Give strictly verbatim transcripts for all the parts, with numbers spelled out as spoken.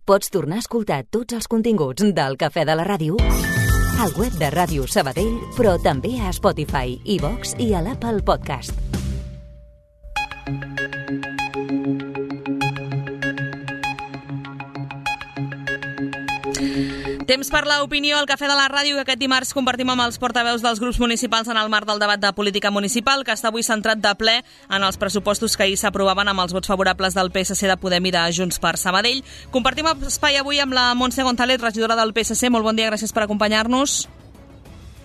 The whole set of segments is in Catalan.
Pots tornar a escoltar tots els continguts del Cafè de la Ràdio al web de Ràdio Sabadell, però també a Spotify, iVox i a l'Apple Podcast. Temps per l'opinió al Cafè de la Ràdio, que aquest dimarts compartim amb els portaveus dels grups municipals en el marc del debat de política municipal, que està avui centrat de ple en els pressupostos que ahir s'aprovaven amb els vots favorables del P S C, de Podem i de Junts per Sabadell. Compartim espai avui amb la Montse González, regidora del P S C. Molt bon dia, gràcies per acompanyar-nos.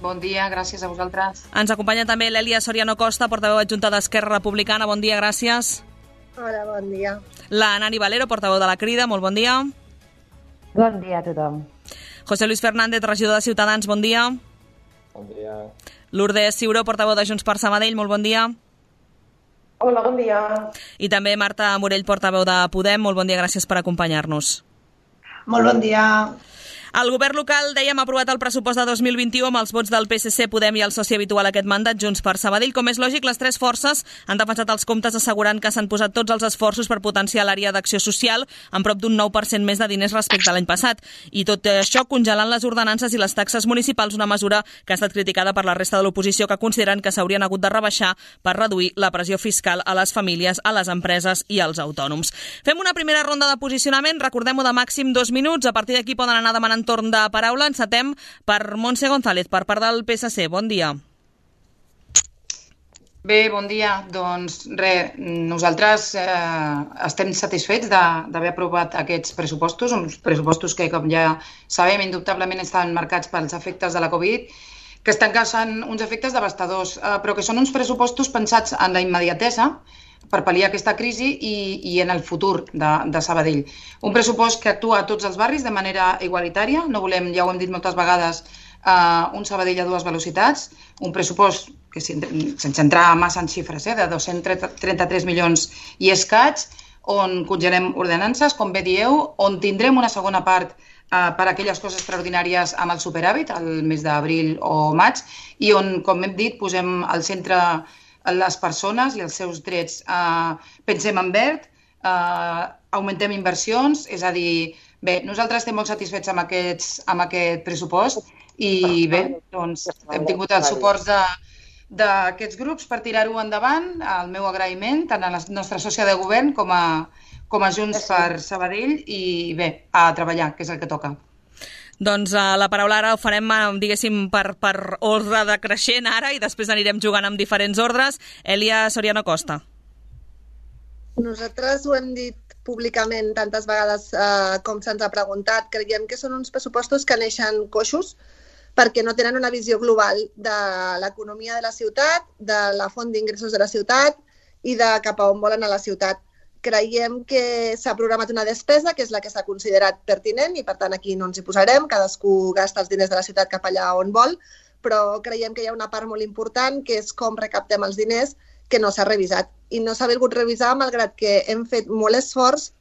Bon dia, gràcies a vosaltres. Ens acompanya també l'Èlia Soriano Costa, portaveu adjunta d'Esquerra Republicana. Bon dia, gràcies. Hola, bon dia. La Nani Valero, portaveu de la Crida. Molt bon dia. Bon dia a tothom. José Luis Fernández, regidor de Ciutadans, bon dia. Bon dia. Lourdes Ciuró, portaveu de Junts per Sabadell, molt bon dia. Hola, bon dia. I també Marta Morell, portaveu de Podem, molt bon dia, gràcies per acompanyar-nos. Molt bon dia. El govern local, dèiem, ha aprovat el pressupost de dos mil vint-i-u amb els vots del P S C, Podem i el soci habitual aquest mandat, Junts per Sabadell. Com és lògic, les tres forces han defensat els comptes assegurant que s'han posat tots els esforços per potenciar l'àrea d'acció social amb prop d'un nou per cent més de diners respecte a l'any passat. I tot això congelant les ordenances i les taxes municipals, una mesura que ha estat criticada per la resta de l'oposició, que consideren que s'haurien hagut de rebaixar per reduir la pressió fiscal a les famílies, a les empreses i als autònoms. Fem una primera ronda de posicionament, recordem-ho, de màxim dos minuts. A partir d'aquí poden anar demanant torn de paraula. Encetem per Montse González, per part del P S C. Bon dia. Bé, bon dia. Doncs res, nosaltres eh, estem satisfets d'haver aprovat aquests pressupostos, uns pressupostos que, com ja sabem, indubtablement estan marcats pels efectes de la Covid, que estan causant uns efectes devastadors, eh, però que són uns pressupostos pensats en la immediatesa per pal·liar aquesta crisi i, i en el futur de, de Sabadell. Un pressupost que actua a tots els barris de manera igualitària. No volem, ja ho hem dit moltes vegades, uh, un Sabadell a dues velocitats. Un pressupost que, sense entrar massa en xifres, eh, de dos-cents trenta-tres milions i escaig, on congelem ordenances, com bé dieu, on tindrem una segona part uh, per a aquelles coses extraordinàries amb el superàvit, el mes d'abril o maig, i on, com hem dit, posem al centre les persones i els seus drets. Uh, pensem en verd, uh, augmentem inversions, és a dir, bé, nosaltres estem molt satisfets amb, aquests, amb aquest pressupost i bé, doncs hem tingut els suports de, d'aquests grups per tirar-ho endavant. El meu agraïment tant a la nostra sòcia de govern com a, com a Junts per Sabadell i bé, a treballar, que és el que toca. Doncs uh, la paraula ara ho farem, diguéssim, per, per ordre decreixent ara i després anirem jugant amb diferents ordres. Èlia Soriano Costa. Nosaltres ho hem dit públicament tantes vegades eh, com se'ns ha preguntat. Creiem que són uns pressupostos que neixen coixos perquè no tenen una visió global de l'economia de la ciutat, de la font d'ingressos de la ciutat i de cap a on volen a la ciutat. Creiem que s'ha programat una despesa, que és la que s'ha considerat pertinent, i per tant aquí no ens hi posarem, cadascú gasta els diners de la ciutat cap allà on vol, però creiem que hi ha una part molt important, que és com recaptem els diners, que no s'ha revisat. I no s'ha volgut revisar, malgrat que hem fet molt esforç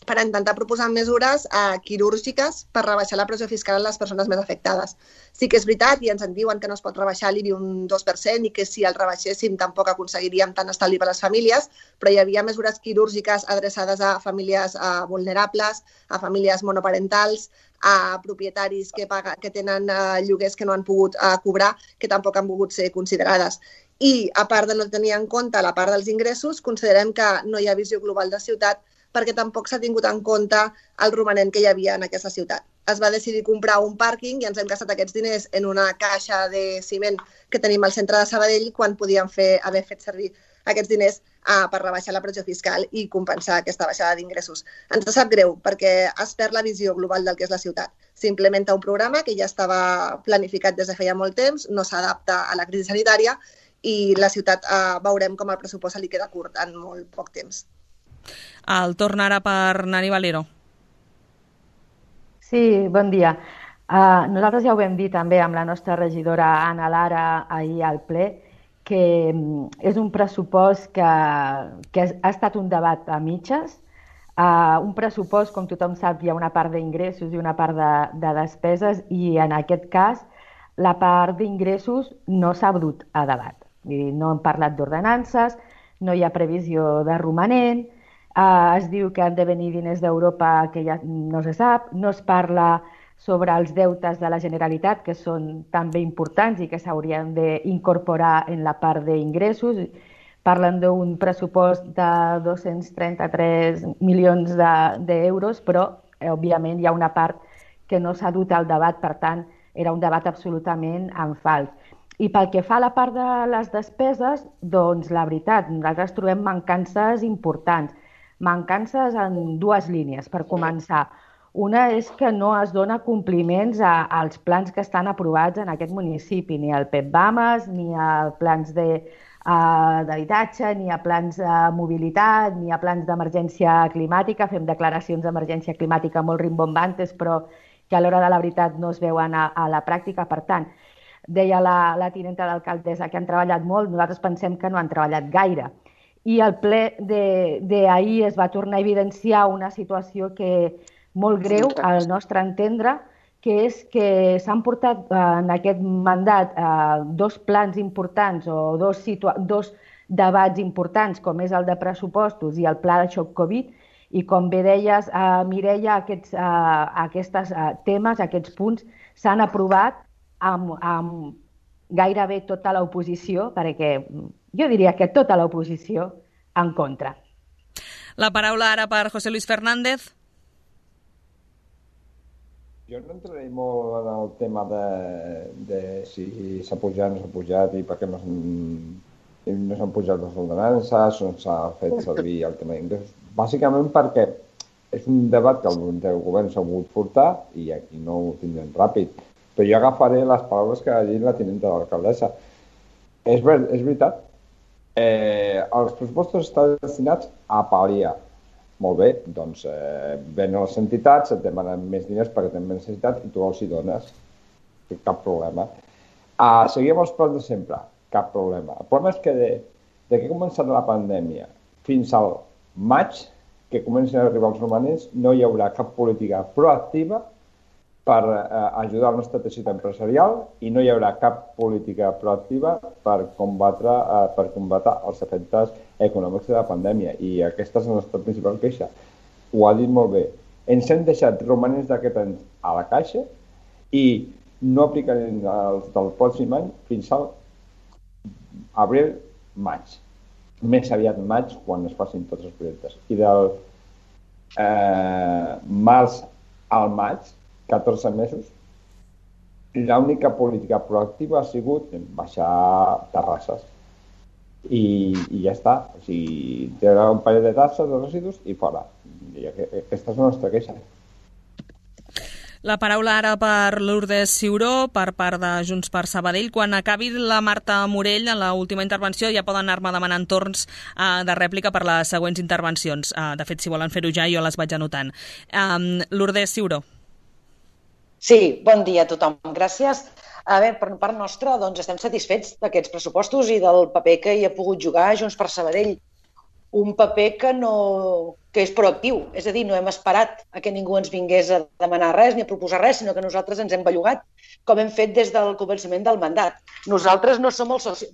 per intentar proposar mesures eh, quirúrgiques per rebaixar la pressió fiscal a les persones més afectades. Sí que és veritat, i ens en diuen que no es pot rebaixar l'I B I un dos per cent i que si el rebaixéssim tampoc aconseguiríem tant estalvi per a les famílies, però hi havia mesures quirúrgiques adreçades a famílies eh, vulnerables, a famílies monoparentals, a propietaris que, paga, que tenen eh, lloguers que no han pogut eh, cobrar, que tampoc han pogut ser considerades. I, a part de no tenir en compte la part dels ingressos, considerem que no hi ha visió global de ciutat perquè tampoc s'ha tingut en compte el romanent que hi havia en aquesta ciutat. Es va decidir comprar un pàrquing i ens hem gastat aquests diners en una caixa de ciment que tenim al centre de Sabadell quan podíem fer, haver fet servir aquests diners uh, per rebaixar la pressió fiscal i compensar aquesta baixada d'ingressos. Ens sap greu perquè es perd la visió global del que és la ciutat. S'implementa un programa que ja estava planificat des de feia molt temps, no s'adapta a la crisi sanitària i la ciutat uh, veurem com el pressupost se li queda curt en molt poc temps. El torn ara per Nani Valero. Sí, bon dia. Uh, nosaltres ja ho vam dir també amb la nostra regidora Anna Lara ahir al ple, que és un pressupost que, que ha estat un debat a mitges. Uh, un pressupost, com tothom sap, hi ha una part d'ingressos i una part de, de despeses i en aquest cas la part d'ingressos no s'ha dut a debat. No hem parlat d'ordenances, no hi ha previsió de romanent, Uh, es diu que han de venir diners d'Europa que ja no se sap, no es parla sobre els deutes de la Generalitat, que són també importants i que s'haurien d'incorporar en la part d'ingressos. Parlen d'un pressupost de dos-cents trenta-tres milions d'euros, però, eh, òbviament, hi ha una part que no s'ha dut al debat, per tant, era un debat absolutament en fals. I pel que fa a la part de les despeses, doncs, la veritat, nosaltres trobem mancances importants. Mancances en dues línies, per començar. Una és que no es dona compliments a, als plans que estan aprovats en aquest municipi, ni al P E P BAMES, ni a plans de, uh, d'habitatge, ni a plans de mobilitat, ni a plans d'emergència climàtica. Fem declaracions d'emergència climàtica molt rimbombantes, però que a l'hora de la veritat no es veuen a, a la pràctica. Per tant, deia la, la tinenta d'alcaldessa que han treballat molt, nosaltres pensem que no han treballat gaire. I al ple d'ahir es va tornar a evidenciar una situació que molt greu, al nostre entendre, que és que s'han portat en aquest mandat dos plans importants o dos, dos debats importants, com és el de pressupostos i el pla de xoc Covid, i com bé deies, Mireia, aquests, aquests temes, aquests punts, s'han aprovat amb, amb gairebé tota l'oposició, perquè jo diria que tota l'oposició en contra. La paraula ara per José Luis Fernández. Jo no entraré molt en el tema de, de si s'ha pujat o no s'ha pujat i per què no s'han no s'han pujat les ordenances o no s'ha fet servir el tema d'ingressos. Bàsicament perquè és un debat que el govern s'ha volgut portar i aquí no ho tindrem ràpid. Però jo agafaré les paraules que ha dit la tinenta de l'alcaldessa. És, ver, és veritat, eh, els pressupostos estan destinats a pal·liar. Molt bé, doncs eh, venen les entitats, et demanen més diners perquè tenen més necessitat i tu els hi dones. Cap problema. Uh, seguim els plans de sempre. Cap problema. El problema és que de, de que ha començat la pandèmia fins al maig, que comencen a arribar els romanents, no hi haurà cap política proactiva per eh, ajudar el nostre teixit empresarial i no hi haurà cap política proactiva per combatre, eh, per combatre els efectes econòmics de la pandèmia. I aquesta és la nostra principal queixa. Ho ha dit molt bé. Ens hem deixat romanents d'aquest any a la caixa i no aplicarem els del pròxim any fins al abril, maig. Més aviat maig, quan es facin tots els projectes. I del eh, març al maig, catorze mesos, l'única política proactiva ha sigut baixar terrasses. I, i ja està. O sigui, treure un parell de tasses de residus i fora. I aquesta és la nostra queixa. La paraula ara per Lourdes Ciuró, per part de Junts per Sabadell. Quan acabi la Marta Morell, en l'última intervenció, ja poden anar-me demanant torns uh, de rèplica per les següents intervencions. Uh, de fet, si volen fer-ho ja, jo les vaig anotant. Um, Lourdes Ciuró. Sí, bon dia a tothom. Gràcies. A veure, per part nostra, doncs, estem satisfets d'aquests pressupostos i del paper que hi ha pogut jugar Junts per Sabadell. Un paper que, no, que és proactiu, és a dir, no hem esperat a que ningú ens vingués a demanar res ni a proposar res, sinó que nosaltres ens hem bellugat, com hem fet des del començament del mandat. Nosaltres no som el soci...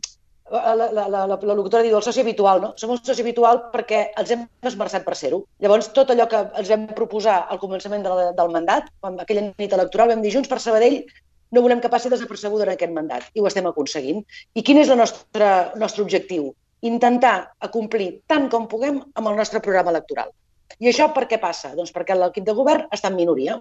La, la, la, la, la locutora diu el soci habitual, no? Som el soci habitual perquè els hem esmerçat per ser-ho. Llavors, tot allò que ens vam proposar al començament de la, del mandat, aquella nit electoral, vam dir Junts per Sabadell no volem que passi desapercebuda en aquest mandat, i ho estem aconseguint. I quin és el nostre, nostre objectiu? Intentar acomplir tant com puguem amb el nostre programa electoral. I això per què passa? Doncs perquè l'equip de govern està en minoria.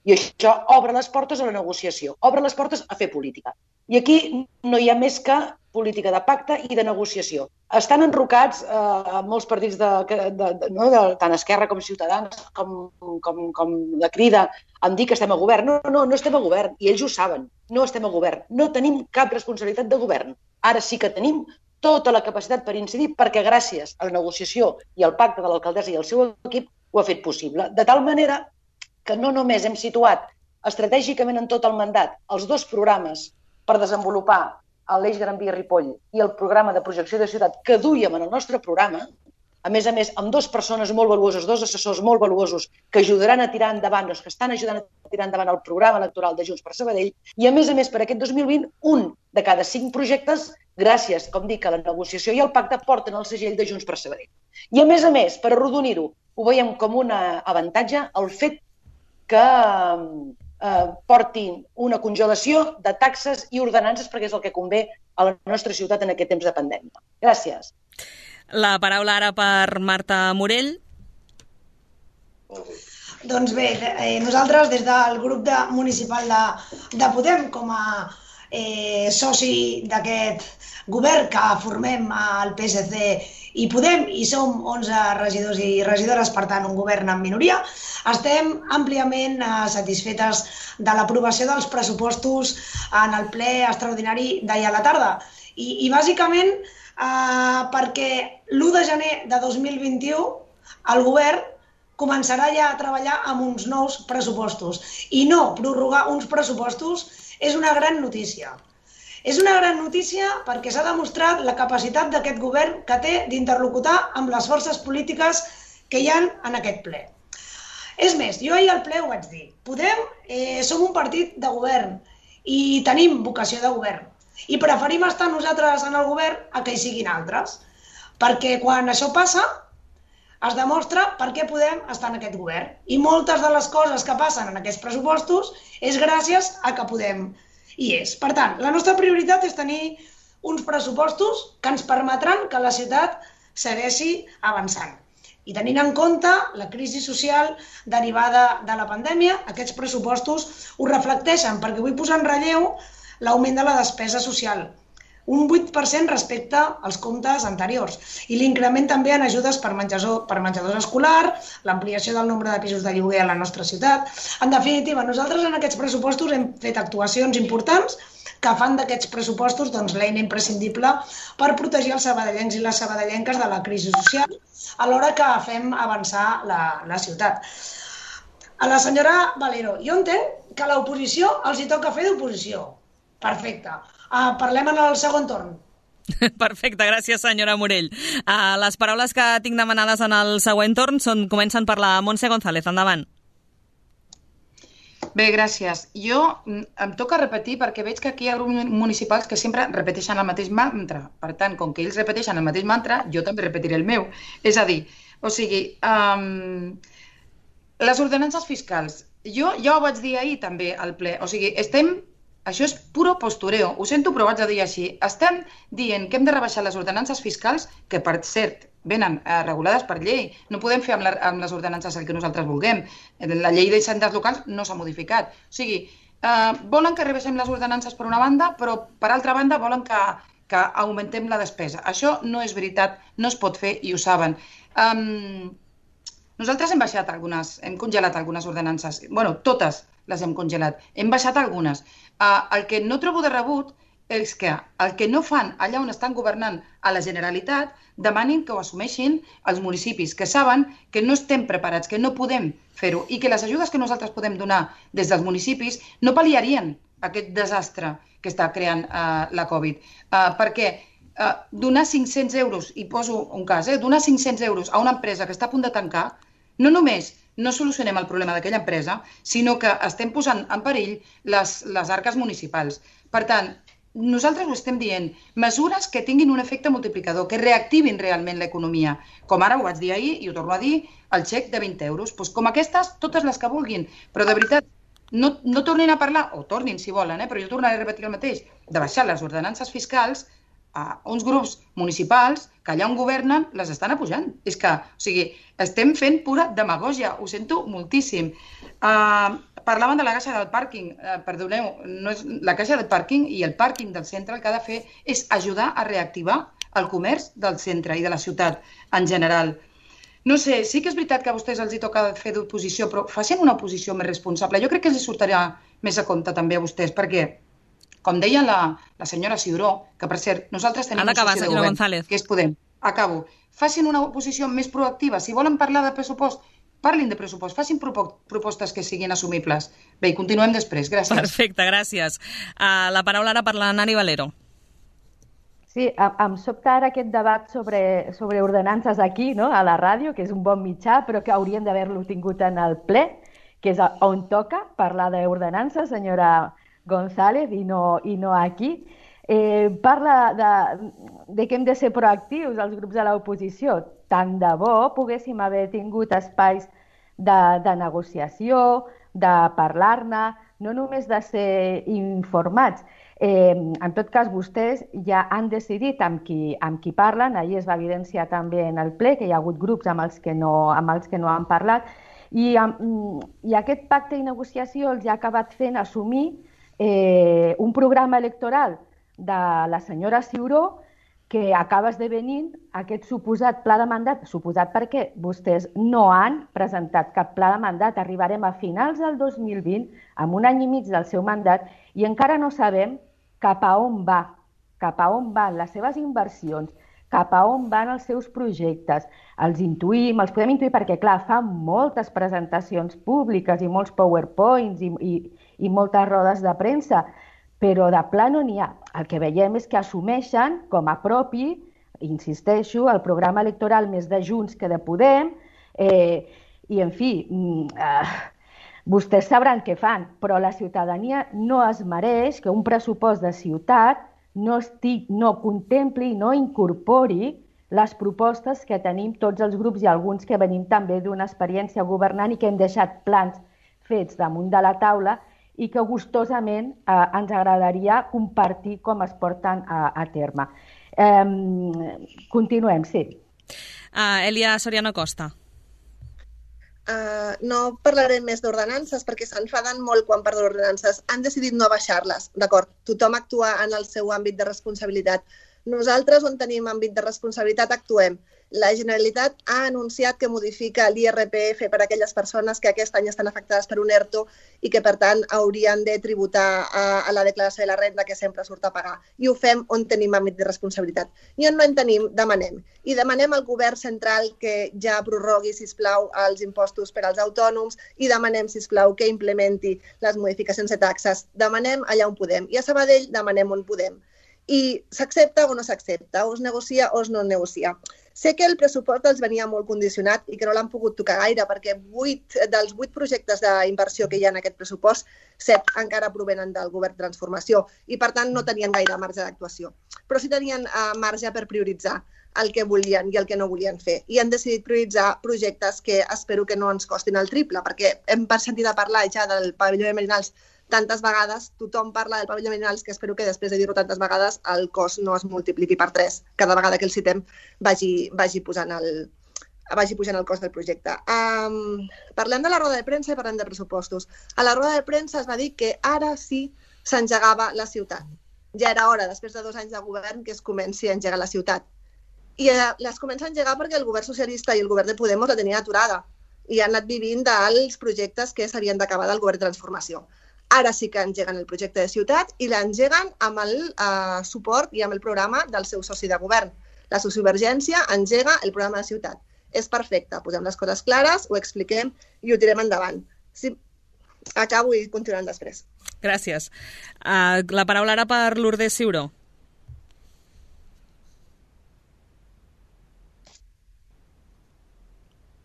I això obre les portes a la negociació, obre les portes a fer política. I aquí no hi ha més que política de pacte i de negociació. Estan enrocats eh, molts partits, de, de, de, no, de, tant Esquerra com Ciutadans, com, com, com la Crida, en dir que estem a govern. No, no, no estem a govern, i ells ho saben. No estem a govern. No tenim cap responsabilitat de govern. Ara sí que tenim tota la capacitat per incidir perquè gràcies a la negociació i al pacte de l'alcaldessa i el seu equip ho ha fet possible. De tal manera que no només hem situat estratègicament en tot el mandat els dos programes per desenvolupar l'Eix Gran Via Ripoll i el programa de projecció de ciutat que duíem en el nostre programa, a més a més, amb dues persones molt valuoses, dos assessors molt valuosos que ajudaran a tirar endavant, els que estan ajudant a tirar endavant el programa electoral de Junts per Sabadell, i a més a més, per aquest dos mil vint, un de cada cinc projectes, gràcies, com dic, a la negociació i al pacte, porten el segell de Junts per Sabadell. I a més a més, per arrodonir-ho, ho veiem com un avantatge el fet que eh, portin una congelació de taxes i ordenances perquè és el que convé a la nostra ciutat en aquest temps de pandèmia. Gràcies. La paraula ara per Marta Morell. Doncs bé, eh, nosaltres des del grup de, municipal de, de Podem, com a eh, soci d'aquest govern que formem al P S C i Podem, i som onze regidors i regidores, per tant un govern en minoria, estem àmpliament eh, satisfetes de l'aprovació dels pressupostos en el ple extraordinari d'ahir a la tarda. I, i bàsicament eh, perquè l'u de gener de dos mil vint-i-u el govern començarà ja a treballar amb uns nous pressupostos. I no prorrogar uns pressupostos és una gran notícia. És una gran notícia perquè s'ha demostrat la capacitat d'aquest govern que té d'interlocutar amb les forces polítiques que hi ha en aquest ple. És més, jo ahir al ple ho vaig dir. Podem, eh, som un partit de govern i tenim vocació de govern. I preferim estar nosaltres en el govern a que hi siguin altres. Perquè quan això passa, es demostra per què podem estar en aquest govern. I moltes de les coses que passen en aquests pressupostos és gràcies a que Podem hi és. Per tant, la nostra prioritat és tenir uns pressupostos que ens permetran que la ciutat segueixi avançant. I tenint en compte la crisi social derivada de la pandèmia, aquests pressupostos ho reflecteixen, perquè vull posar en relleu l'augment de la despesa social, un vuit per cent respecte als comptes anteriors, i l'increment també en ajudes per menjador, per menjador escolar, l'ampliació del nombre de pisos de lloguer a la nostra ciutat. En definitiva, nosaltres en aquests pressupostos hem fet actuacions importants que fan d'aquests pressupostos doncs, l'eina imprescindible per protegir els sabadellencs i les sabadellenques de la crisi social a l'hora que fem avançar la, la ciutat. A la senyora Valero, jo entenc que a l'oposició els hi toca fer d'oposició. Perfecte. Uh, parlem en el segon torn. Perfecte, gràcies senyora Morell. Uh, les paraules que tinc demanades en el següent torn són, comencen per la Montse González. Endavant. Bé, gràcies. Jo em toca repetir perquè veig que aquí hi ha grups municipals que sempre repeteixen el mateix mantra. Per tant, com que ells repeteixen el mateix mantra, jo també repetiré el meu. És a dir, o sigui, um, les ordenances fiscals. Jo ja ho vaig dir ahir també al ple. O sigui, estem... Això és puro postureo. Ho sento, però vaig a dir així. Estem dient que hem de rebaixar les ordenances fiscals, que per cert venen eh, regulades per llei. No podem fer amb, la, amb les ordenances el que nosaltres vulguem. La llei d'hisendes locals no s'ha modificat. O sigui, eh, volen que rebaixem les ordenances per una banda, però per altra banda volen que, que augmentem la despesa. Això no és veritat, no es pot fer i ho saben. Um, nosaltres hem baixat algunes, hem congelat algunes ordenances. Bueno, totes les hem congelat. Hem baixat algunes. Uh, el que no trobo de rebut és que el que no fan allà on estan governant a la Generalitat demanin que ho assumeixin els municipis, que saben que no estem preparats, que no podem fer-ho i que les ajudes que nosaltres podem donar des dels municipis no pal·liarien aquest desastre que està creant uh, la Covid. Uh, perquè uh, donar cinc-cents euros, i poso un cas, eh, donar cinc-cents euros a una empresa que està a punt de tancar, no només no solucionem el problema d'aquella empresa, sinó que estem posant en perill les, les arques municipals. Per tant, nosaltres ho estem dient, mesures que tinguin un efecte multiplicador, que reactivin realment l'economia. Com ara ho vaig dir ahir i ho torno a dir, el xec de vint euros. Pues com aquestes, totes les que vulguin. Però de veritat, no, no tornin a parlar, o tornin si volen, eh? Però jo tornaré a repetir el mateix, de baixar les ordenances fiscals a uns grups municipals que allà on governen les estan apujant. És que, o sigui, estem fent pura demagògia, ho sento moltíssim. Uh, parlaven de la caixa del pàrquing, uh, perdoneu, no és, la caixa del pàrquing i el pàrquing del centre el que ha de fer és ajudar a reactivar el comerç del centre i de la ciutat en general. No sé, sí que és veritat que a vostès els hi toca fer d'oposició, però facin una oposició més responsable. Jo crec que els hi sortirà més a compte també a vostès, perquè com deia la, la senyora Ciuró, que per cert, nosaltres tenim un soci de govern, González. Que és Podem. Acabo. Facin una oposició més proactiva. Si volen parlar de pressupost, parlin de pressupost, facin propostes que siguin assumibles. Bé, i continuem després. Gràcies. Perfecte, gràcies. Uh, la paraula ara per la Nani Valero. Sí, em sobta ara aquest debat sobre, sobre ordenances aquí, no?, a la ràdio, que és un bon mitjà, però que haurien d'haver-lo tingut en el ple, que és on toca parlar d'ordenances, senyora González, i no, i no aquí. Eh, parla de, de que hem de ser proactius els grups de l'oposició. Tant de bo poguéssim haver tingut espais de, de negociació, de parlar-ne, no només de ser informats. Eh, en tot cas, vostès ja han decidit amb qui, amb qui parlen. Ahir es va evidenciar també en el ple que hi ha hagut grups amb els que no, amb els que no han parlat. I, i aquest pacte i negociació els ha acabat fent assumir eh, un programa electoral de la senyora Ciuró que acaba esdevenint aquest suposat pla de mandat, suposat perquè vostès no han presentat cap pla de mandat. Arribarem a finals del dos mil vint, amb un any i mig del seu mandat, i encara no sabem cap a on va, cap a on van les seves inversions, cap a on van els seus projectes. Els intuïm, els podem intuir perquè, clar, fan moltes presentacions públiques i molts powerpoints i, i, i moltes rodes de premsa, però de pla no n'hi ha. El que veiem és que assumeixen com a propi, insisteixo, el programa electoral més de Junts que de Podem, eh, i, en fi, eh, vostès sabran què fan, però la ciutadania no es mereix que un pressupost de ciutat no, estic, no contempli, no incorpori les propostes que tenim tots els grups i alguns que venim també d'una experiència governant i que hem deixat plans fets damunt de la taula i que gustosament eh, ens agradaria compartir com es porten a, a terme. Eh, continuem, sí. Uh, Elia Soriano Costa. Uh, no parlarem més d'ordenances perquè s'enfaden molt quan parlen d'ordenances. Han decidit no baixar-les, d'acord? Tothom actua en el seu àmbit de responsabilitat. Nosaltres, on tenim àmbit de responsabilitat, actuem. La Generalitat ha anunciat que modifica l'I R P F per a aquelles persones que aquest any estan afectades per un ERTO i que, per tant, haurien de tributar a, a la declaració de la renda que sempre surt a pagar. I ho fem on tenim àmbit de responsabilitat. I on no en tenim, demanem. I demanem al govern central que ja prorrogui, sisplau, els impostos per als autònoms i demanem, sisplau, que implementi les modificacions de taxes. Demanem allà on podem. I a Sabadell demanem on podem. I s'accepta o no s'accepta, o es negocia o es no negocia. Sé que el pressupost els venia molt condicionat i que no l'han pogut tocar gaire, perquè vuit dels vuit projectes d'inversió que hi ha en aquest pressupost, set encara provenen del govern de transformació i, per tant, no tenien gaire marge d'actuació. Però sí tenien uh, marge per prioritzar el que volien i el que no volien fer. I han decidit prioritzar projectes que espero que no ens costin el triple, perquè hem sentit a parlar ja del pavelló de Merinals tantes vegades, tothom parla del pavelló de Merinals, que espero que després de dir-ho tantes vegades el cost no es multipliqui per tres. Cada vegada que el citem vagi, vagi, posant el, vagi pujant el cost del projecte. Um, parlem de la roda de premsa i parlem de pressupostos. A la roda de premsa es va dir que ara sí s'engegava la ciutat. Ja era hora, després de dos anys de govern, que es comenci a engegar la ciutat. I eh, les comença a engegar perquè el govern socialista i el govern de Podemos la tenien aturada i han anat vivint dels projectes que s'havien d'acabar del govern de transformació. Ara sí que engeguen el projecte de ciutat i l'engeguen amb el eh, suport i amb el programa del seu soci de govern. La sociovergència engega el programa de ciutat. És perfecte, posem les coses clares, ho expliquem i ho tirem endavant. Sí, acabo i continuem després. Gràcies. Uh, la paraula ara per Lourdes Ciuró.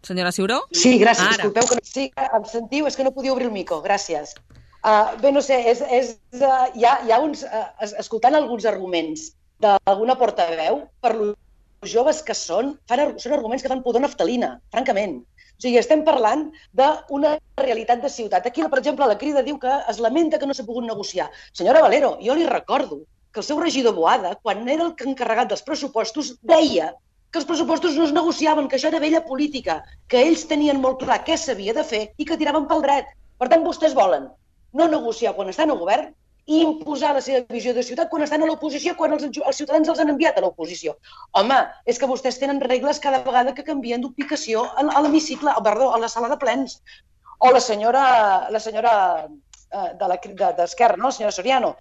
Senyora Ciuró? Sí, gràcies. Ara. Disculpeu que no... Sí, em sentiu? És que no podia obrir el micro. Gràcies. Uh, bé, no sé, és, és, uh, hi, ha, hi ha uns... Uh, escoltant alguns arguments d'alguna portaveu, per lo joves que són, fan, són arguments que fan pudor naftalina, francament. O sigui, estem parlant d'una realitat de ciutat. Aquí, per exemple, la Crida diu que es lamenta que no s'ha pogut negociar. Senyora Valero, jo li recordo que el seu regidor Boada, quan era el encarregat dels pressupostos, deia que els pressupostos no es negociaven, que això era vella política, que ells tenien molt clar què s'havia de fer i que tiraven pel dret. Per tant, vostès volen no negociar quan estan al govern i imposar la seva visió de ciutat quan estan a l'oposició, quan els, els ciutadans els han enviat a l'oposició. Home, és que vostès tenen regles cada vegada que canvien d'ubicació a l'hemicicle, perdó, a la sala de plens. O la senyora, la senyora eh, de d'Esquerra, no? La senyora Soriano,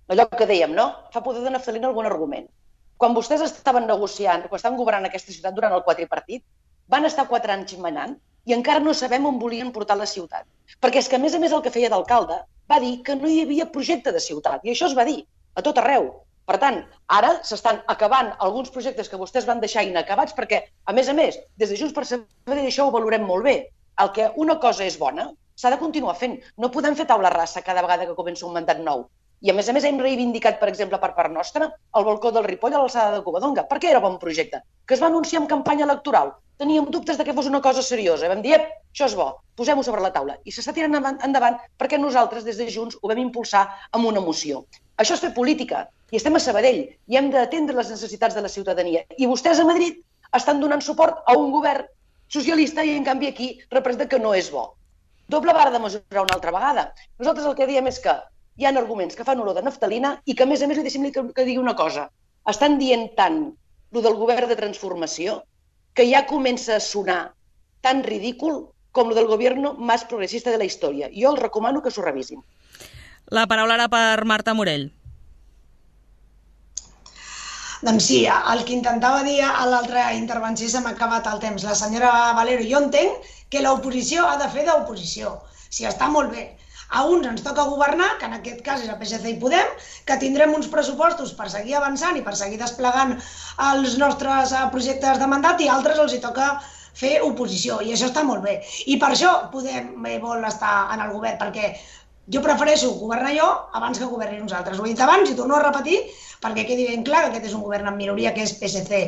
allò que dèiem, no? Fa poder de naftalina algun argument. Quan vostès estaven negociant, quan estaven governant aquesta ciutat durant el quadripartit, van estar quatre anys manant i encara no sabem on volien portar la ciutat. Perquè és que, a més a més, el que feia d'alcalde va dir que no hi havia projecte de ciutat. I això es va dir a tot arreu. Per tant, ara s'estan acabant alguns projectes que vostès van deixar inacabats perquè, a més a més, des de Junts per Sabadell això ho valorem molt bé. El que una cosa és bona s'ha de continuar fent. No podem fer taula rasa cada vegada que comença un mandat nou. I a més a més hem reivindicat, per exemple, per part nostra, el balcó del Ripoll a l'alçada de Covadonga, perquè era bon projecte, que es va anunciar en campanya electoral. Teníem dubtes de que fos una cosa seriosa. Vam dir, això és bo, posem-ho sobre la taula. I s'està tirant endavant perquè nosaltres, des de Junts, ho vam impulsar amb una moció. Això és fer política. I estem a Sabadell i hem d'atendre les necessitats de la ciutadania. I vostès a Madrid estan donant suport a un govern socialista i, en canvi, aquí representa que no és bo. Doble vara de mesurar una altra vegada. Nosaltres el que diem és que hi ha arguments que fan olor de naftalina i que, a més a més, li deixem que, que digui una cosa. Estan dient tant el del govern de transformació que ja comença a sonar tan ridícul com el del govern més progressista de la història. Jo els recomano que s'ho revisin. La paraula ara per Marta Morell. Doncs sí, el que intentava dir a l'altra intervenció se m'ha acabat el temps. La senyora Valero, jo entenc que l'oposició ha de fer d'oposició. Sí, està molt bé. A uns ens toca governar, que en aquest cas és el P S C i Podem, que tindrem uns pressupostos per seguir avançant i per seguir desplegant els nostres projectes de mandat i a altres els hi toca fer oposició, i això està molt bé. I per això Podem vol estar en el govern, perquè jo prefereixo governar jo abans que governi nosaltres. Ho he dit abans i torno a repetir perquè quedi ben clar que aquest és un govern en minoria, que és P S C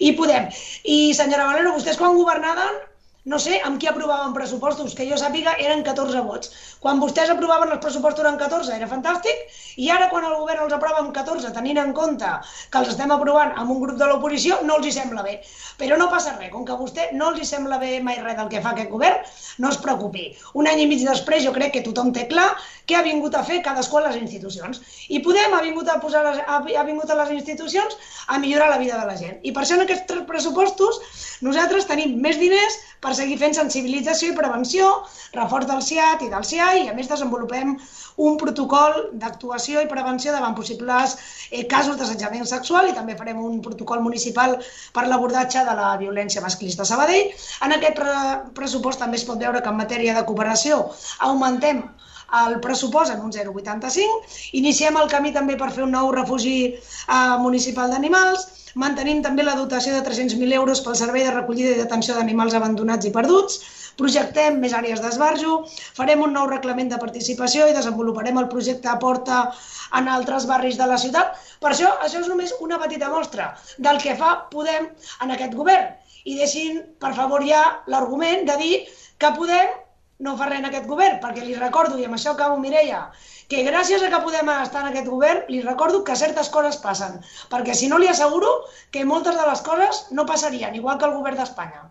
i Podem. I senyora Valero, vostès quan governaven, no sé amb qui aprovaven pressupostos, que jo sàpiga eren catorze vots. Quan vostès aprovaven els pressupostos eren catorze, era fantàstic, i ara quan el govern els aprova amb catorze, tenint en compte que els estem aprovant amb un grup de l'oposició, no els hi sembla bé. Però no passa res, com que a vostè no els hi sembla bé mai res del que fa aquest govern, no es preocupi. Un any i mig després jo crec que tothom té clar què ha vingut a fer cadascú a les institucions. I Podem ha vingut a, posar les, ha, ha vingut a les institucions a millorar la vida de la gent. I per això en aquests tres pressupostos nosaltres tenim més diners per seguir fent sensibilització i prevenció, reforç del S I A T i del S I A I, i a més desenvolupem un protocol d'actuació i prevenció davant possibles eh, casos d'assetjament sexual i també farem un protocol municipal per l'abordatge de la violència masclista a Sabadell. En aquest pre pressupost també es pot veure que en matèria de cooperació augmentem el pressupost en un zero coma vuitanta-cinc, iniciem el camí també per fer un nou refugi eh, municipal d'animals, mantenim també la dotació de tres-cents mil euros pel servei de recollida i detenció d'animals abandonats i perduts, projectem més àrees d'esbarjo, farem un nou reglament de participació i desenvoluparem el projecte Aporta en altres barris de la ciutat. Per això, això és només una petita mostra del que fa Podem en aquest govern. I deixin, per favor, ja l'argument de dir que Podem no fa res en aquest govern, perquè li recordo, i amb això acabo, Mireia, que gràcies a que Podem estar en aquest govern, li recordo que certes coses passen, perquè si no li asseguro que moltes de les coses no passarien, igual que el govern d'Espanya.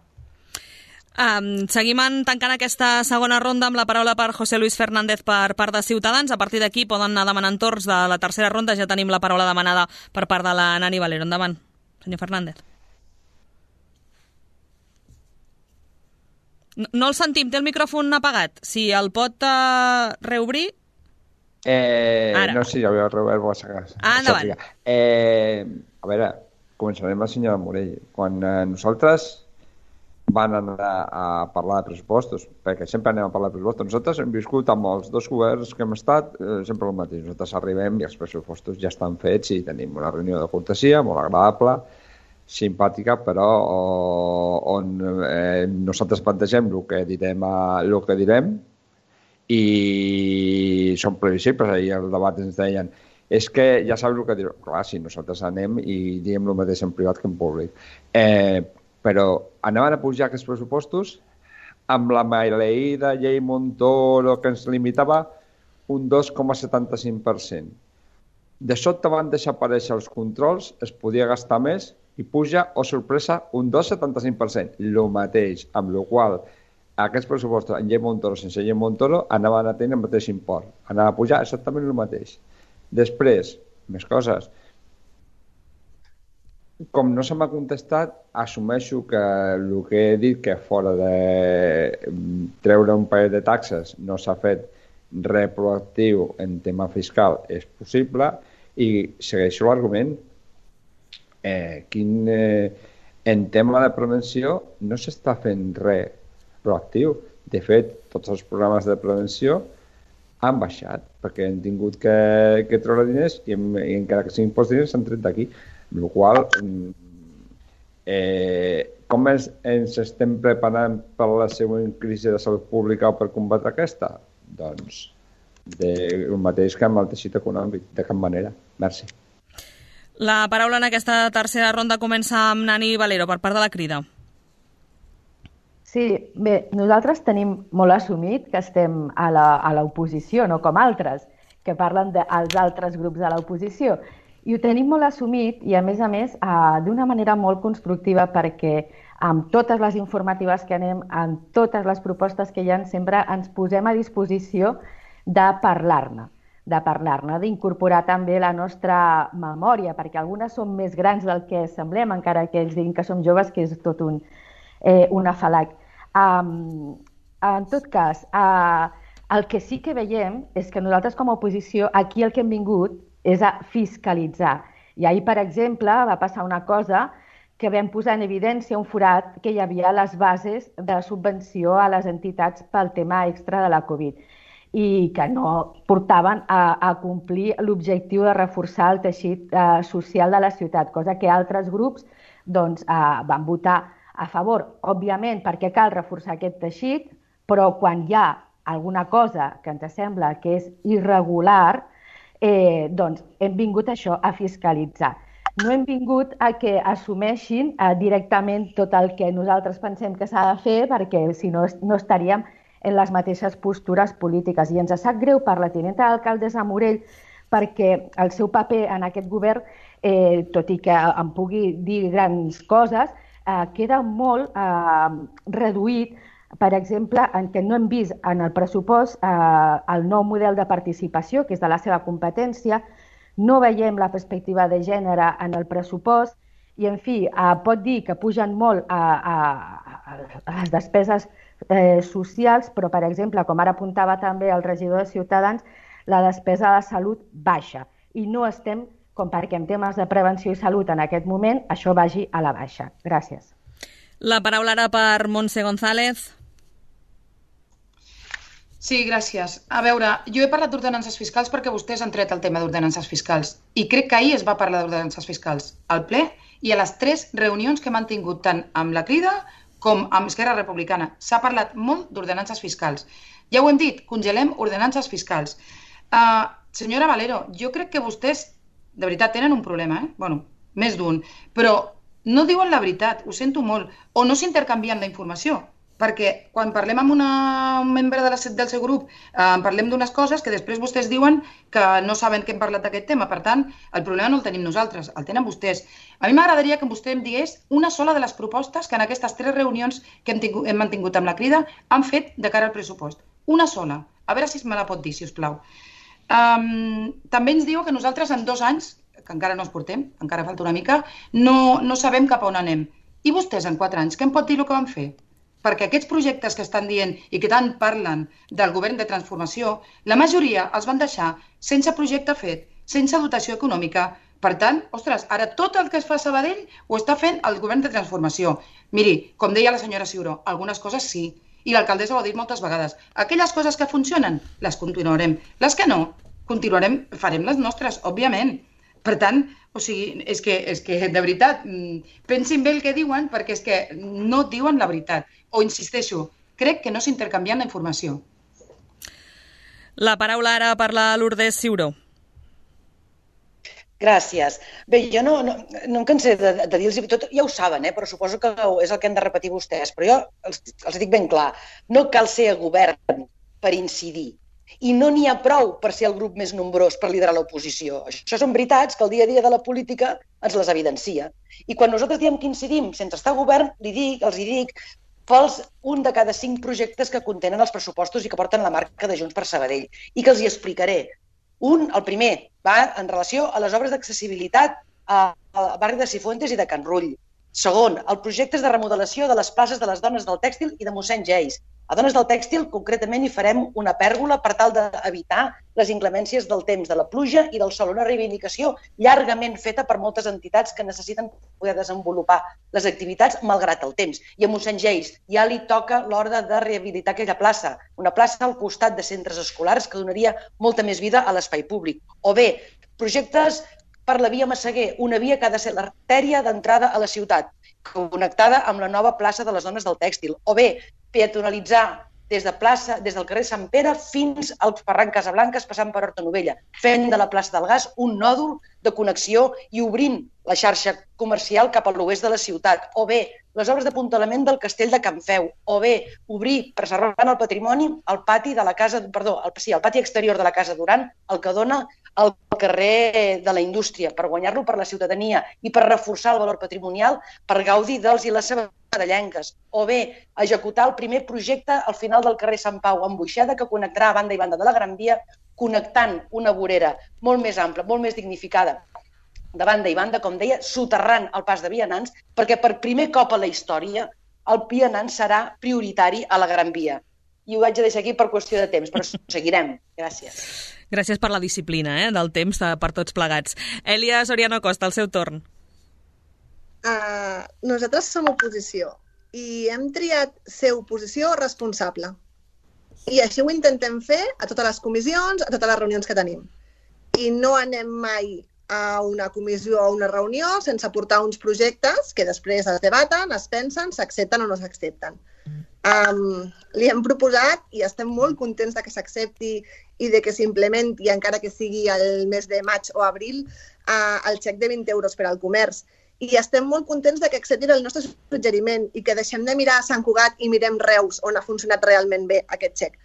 Um, seguim tancant aquesta segona ronda amb la paraula per José Luis Fernández per part de Ciutadans. A partir d'aquí poden anar demanant torns de la tercera ronda. Ja tenim la paraula demanada per part de la Nani Valero. Endavant, senyor Fernández. No, no el sentim, té el micròfon apagat. Si el pot uh, reobrir... Eh, no, sí, ja ho he reobert a casa. Ah, endavant. Eh, a veure, començarem amb la senyora Morell. Quan eh, nosaltres van anar a parlar de pressupostos, perquè sempre anem a parlar de pressupostos. Nosaltres hem viscut amb els dos governs que hem estat eh, sempre el mateix. Nosaltres arribem i els pressupostos ja estan fets i tenim una reunió de cortesia molt agradable, simpàtica, però on eh, nosaltres plantegem el que direm, el que direm i són previsibles. Ahir el debat ens deien és que ja saps el que direm. Clar, si nosaltres anem i diem el mateix en privat que en públic. Eh, però anaven a pujar aquests pressupostos amb la maleïda llei Montoro que ens limitava un dos coma setanta-cinc per cent. De sobte van deixar aparèixer els controls, es podia gastar més i puja, oh sorpresa, un dos coma setanta-cinc per cent. El mateix, amb la qual aquests pressupostos en llei Montoro sense llei Montoro anaven a tenir el mateix import. Anaven a pujar exactament el mateix. Després, més coses. Com no se m'ha contestat, assumeixo que el que he dit, que fora de treure un parell de taxes no s'ha fet res proactiu en tema fiscal, és possible, i segueixo l'argument. Eh, quin, eh, en tema de prevenció no s'està fent res proactiu. De fet, tots els programes de prevenció han baixat, perquè han tingut que, que treure diners i, i encara que siguin pocs diners s'han tret d'aquí. Amb la qual eh, com ens, ens estem preparant per la següent crisi de salut pública o per combatre aquesta? Doncs de, el mateix que amb el teixit econòmic, de cap manera. Merci. La paraula en aquesta tercera ronda comença amb Nani Valero, per part de la Crida. Sí, bé, nosaltres tenim molt assumit que estem a la, a l'oposició, no com altres, que parlen dels altres grups de l'oposició. I ho tenim molt assumit i, a més a més, eh, d'una manera molt constructiva, perquè amb totes les informatives que anem, amb totes les propostes que hi ha, sempre ens posem a disposició de parlar-ne, de parlar-ne, d'incorporar també la nostra memòria, perquè algunes són més grans del que semblem, encara que ells diguin que som joves, que és tot un, eh, un afalac. Um, en tot cas, uh, el que sí que veiem és que nosaltres com a oposició aquí el que hem vingut és a fiscalitzar. I ahir, per exemple, va passar una cosa que vam posar en evidència un forat que hi havia a les bases de subvenció a les entitats pel tema extra de la Covid i que no portaven a, a complir l'objectiu de reforçar el teixit eh, social de la ciutat, cosa que altres grups doncs, eh, van votar a favor, òbviament, perquè cal reforçar aquest teixit, però quan hi ha alguna cosa que ens sembla que és irregular, eh, doncs hem vingut això a fiscalitzar. No hem vingut a que assumeixin eh, directament tot el que nosaltres pensem que s'ha de fer, perquè si no, no estaríem en les mateixes postures polítiques. I ens sap greu per la tinenta d'alcaldessa Morell, perquè el seu paper en aquest govern, eh, tot i que em pugui dir grans coses, eh, queda molt eh, reduït, per exemple, en què no hem vist en el pressupost eh, el nou model de participació, que és de la seva competència, no veiem la perspectiva de gènere en el pressupost i, en fi, eh, pot dir que pugen molt a, a, a les despeses eh, socials, però, per exemple, com ara apuntava també el regidor de Ciutadans, la despesa de salut baixa i no estem, com perquè en temes de prevenció i salut en aquest moment, això vagi a la baixa. Gràcies. La paraula ara per Montse González. Sí, gràcies. A veure, jo he parlat d'ordenances fiscals perquè vostès han tret el tema d'ordenances fiscals i crec que ahir es va parlar d'ordenances fiscals al ple i a les tres reunions que hem mantingut tant amb la Crida com amb Esquerra Republicana. S'ha parlat molt d'ordenances fiscals. Ja ho hem dit, congelem ordenances fiscals. Uh, senyora Valero, jo crec que vostès, de veritat, tenen un problema, eh? Bueno, més d'un, però no diuen la veritat, ho sento molt, o no s'intercanvien la informació. Perquè quan parlem amb una, un membre de la, del seu grup, eh, parlem d'unes coses que després vostès diuen que no saben que hem parlat d'aquest tema. Per tant, el problema no el tenim nosaltres, el tenen vostès. A mi m'agradaria que vostè em digués una sola de les propostes que en aquestes tres reunions que hem, tingut, hem mantingut amb la Crida han fet de cara al pressupost. Una sola. A veure si me la pot dir, si us plau. Um, també ens diu que nosaltres en dos anys, que encara no els portem, encara falta una mica, no, no sabem cap a on anem. I vostès en quatre anys, què em pot dir el que van fer? Perquè aquests projectes que estan dient i que tant parlen del govern de transformació, la majoria els van deixar sense projecte fet, sense dotació econòmica. Per tant, ostres, ara tot el que es fa a Sabadell ho està fent el govern de transformació. Miri, com deia la senyora Ciuró, algunes coses sí, i l'alcaldessa ho ha dit moltes vegades. Aquelles coses que funcionen, les continuarem. Les que no, continuarem, farem les nostres, òbviament. Per tant, o sigui, és que, és que de veritat, pensin bé el que diuen perquè és que no diuen la veritat. O insisteixo, crec que no s'intercanvien la informació. La paraula ara per la Lourdes Ciuró. Gràcies. Bé, jo no, no, no em cansé de, de dir-los tot, ja ho saben, eh, però suposo que és el que han de repetir vostès, però jo els, els dic ben clar, no cal ser govern per incidir. I no n'hi ha prou per ser el grup més nombrós per liderar l'oposició. Això són veritats que el dia a dia de la política ens les evidencia. I quan nosaltres diem que incidim sense estar al govern, li dic, els hi dic, fals un de cada cinc projectes que contenen els pressupostos i que porten la marca de Junts per Sabadell. I que els hi explicaré. Un, el primer, va en relació a les obres d'accessibilitat al barri de Cifuentes i de Can Rull. Segon, el projecte de remodelació de les places de les dones del tèxtil i de mossèn Geis. A Dones del Tèxtil, concretament, hi farem una pèrgola per tal d'evitar les inclemències del temps, de la pluja i del sol. Una reivindicació llargament feta per moltes entitats que necessiten poder desenvolupar les activitats malgrat el temps. I a mossèn Geis ja li toca l'hora de rehabilitar aquella plaça, una plaça al costat de centres escolars que donaria molta més vida a l'espai públic. O bé, projectes per la via Massaguer, una via que ha de ser l'artèria d'entrada a la ciutat, connectada amb la nova plaça de les Dones del Tèxtil. O bé, peatonalitzar des de plaça, des del carrer Sant Pere fins al Ferran Casablanques, passant per Horta Novella, fent de la plaça del Gas un nòdul de connexió i obrint la xarxa comercial cap a l'oest de la ciutat. O bé, les obres d'apuntalament del castell de Can Feu. O bé, obrir, preservant el patrimoni, el pati de la casa, perdó, el, sí, el pati exterior de la Casa Duran, el que dona al carrer de la Indústria, per guanyar-lo per la ciutadania i per reforçar el valor patrimonial, per gaudir dels i les sabadellenques. O bé, executar el primer projecte al final del carrer Sant Pau, amb Boixeda, que connectarà a banda i banda de la Gran Via, connectant una vorera molt més ampla, molt més dignificada, de banda i banda, com deia, soterrant el pas de vianants, perquè per primer cop a la història el vianant serà prioritari a la Gran Via. I ho vaig a deixar aquí per qüestió de temps, però seguirem. Gràcies. Gràcies per la disciplina, eh, del temps per tots plegats. Èlia Soriano Costa, el seu torn. Uh, nosaltres som oposició i hem triat ser oposició responsable. I així ho intentem fer a totes les comissions, a totes les reunions que tenim. I no anem mai a una comissió o a una reunió sense portar uns projectes que després es debaten, es pensen, s'accepten o no s'accepten. Um, li hem proposat i estem molt contents de que s'accepti i de que s'implementi, encara que sigui el mes de maig o abril, uh, el xec de vint euros per al comerç. I estem molt contents de que acceptin el nostre suggeriment i que deixem de mirar a Sant Cugat i mirem Reus, on ha funcionat realment bé aquest xec.